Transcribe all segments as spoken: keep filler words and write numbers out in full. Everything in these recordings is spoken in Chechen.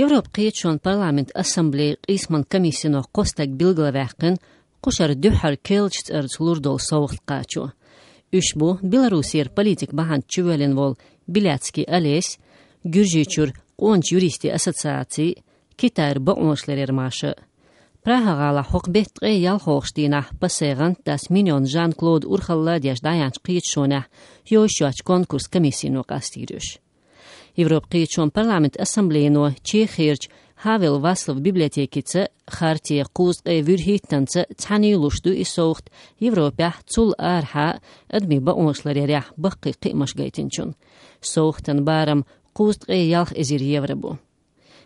Европа кхеташонан парламентан ассамблеян къийсаман комиссино кхо стаг билгалваьккхина кхушара дуьххьара керлачу цӀарца лур долу совгӀат кхачо. Уьш бу Беларусера политик бахьанца чувоьллина волу Беляцкий Олесь, Гуьржийчуьра къоначу юристийн ассоциаци, Китайра бакъонашларъяран маша. Прага-гӀалахь хӀокху беттан ткъе ялхолгӀачу дийнахь ПАСЕ-н гӀантдас Миньон Жан-Клода урхалла а деш дӀаяьхьначу кхеташонехь йовзуш йоцчу конкурсан комиссино къастийра уьш. Европа кхеташонан парламентан ассамблеяно Чехерчу Хавел Вацлаван библиотекица, Хартин кхузткъе вуьрхӀиттанца цхьаьний луш ду и совгӀат Европехь, цул арахьа а адамийн бакъонашларъярехь баккхий кхиамаш гайтинчунна. СовгӀатан барам кхузткъе ялх эзар евро бу.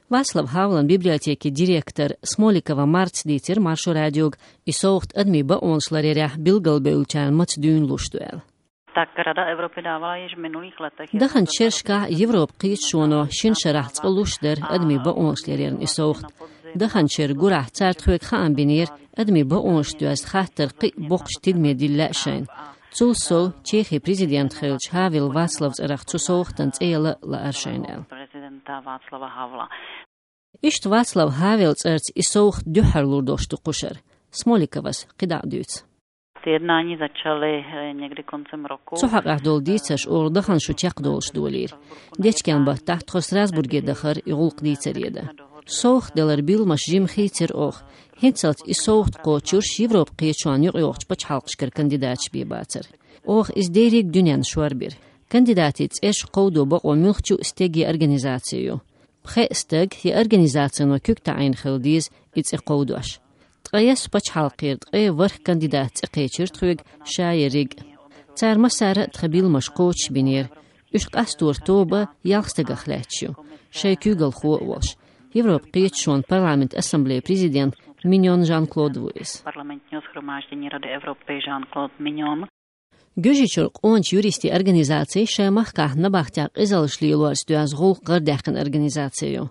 Вацлав Хавелан библиотекин директора Смоликова Марти дийцира Маршо радиога и совгӀат адамийн бакъонашларъярехь билгалбевллачарна маца дуьйна луш ду аьлла. Так Рада Европы давала ещё в минулых летах. Даханчу шерашкахь Европа кхеташоно шина шарахь цкъа луш дара адамийн бакъонашларъярна и совгӀат. Даханчу шеран гурахь цара тхоьга хаам бинера, адамийн бакъонаш доьзна хаттар кхин а боккхачу тидаме дилла лаьа шайна. Цул сов, Чехин президент хиллачу Хавел Вацлаван цӀарах цу совгӀатан цӀе яла лаьара шайна аьлла. Президента Вацлава Хавела. Иштта Вацлав Хавелан цӀарца и совгӀат дуьххьара лур долуш ду кхушара. Смоликовас кхидӀа а дуьйцу. Те однані зачали, е, нєгди концем року. Цу хьокъехь долу дийцарш олу дахана шу чекхдолуш долийра. Дечкен баттахь тхо Страсбурге дахара и гӀуллакх дийцаре дан. СовгӀат далар билламаш жимма хийцира оха. ХӀинццалц и совгӀат кхочурш Европа кхеташонна юкъайогӀучу пачхьалкхашкара кандидаташ бен бацара. Оха иза дерриг а дуьненна шорбира. Кандидатийн цӀерш кховдо бакъо муьлххачу а стеге организаци ю. Пхеа стаг я организацино куьг таӀийна хила деза и цӀе кховдош. Ткъа я пачхьалкхера ткъе ворхӀ кандидат цӀе кхечира тхоьга, ша ерриг а. Цара массара а тхан билламаш кхочушбинера. Уьш къасторан тоба ялх стагах лаьтташ ю, шайн куьйгалхо а волуш. Европа кхеташонан парламентан ассамблеян президент Миньон Жан-Клод ву иза. Парламентнёс хромаждини Рады Европы Жан-Клод Миньон. Гуьржийчуьра къоначу юристийн организаци шайн махкахь набахтех къизаллаш лелорца доьзна гӀуллакх гӀардаьккхина организаци ю.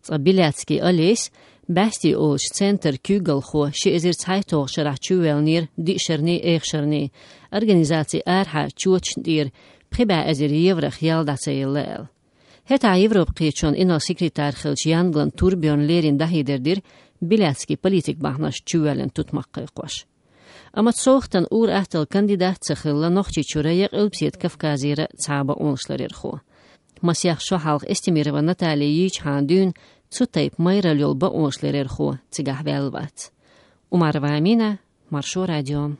Цкъа Беляцкий Олесь, Баьсти олучу центран куьйгалхо, ши эзар цхьайтталгӀачу шарахь чувоьллинера диъ шарний, эха шарний, организацин арахьа чоташна тӀера пхи бӀе эзар еврох ял дӀа ца елла аьлла. ХӀетахь Европа кхеташонан инарла секретарь хиллачу Янглан Турбьерна леррина дӀахьедар дира Беляцкий политик бахьанашца чувоьллина тутмакх кхайкхош. Амма совгӀатан ур-атталла кандидат ца хилла Нохчийчуьра я Къилбаседа Кавказера цхьа а бакъонашларъярхо. Масех шо хьалха Эстемирова Наталья йийчхьана дуьйна цу тайпа майралла йолу бакъонашларъярхо цигахь ваьлла вац. Умарова Амина, Маршо радио.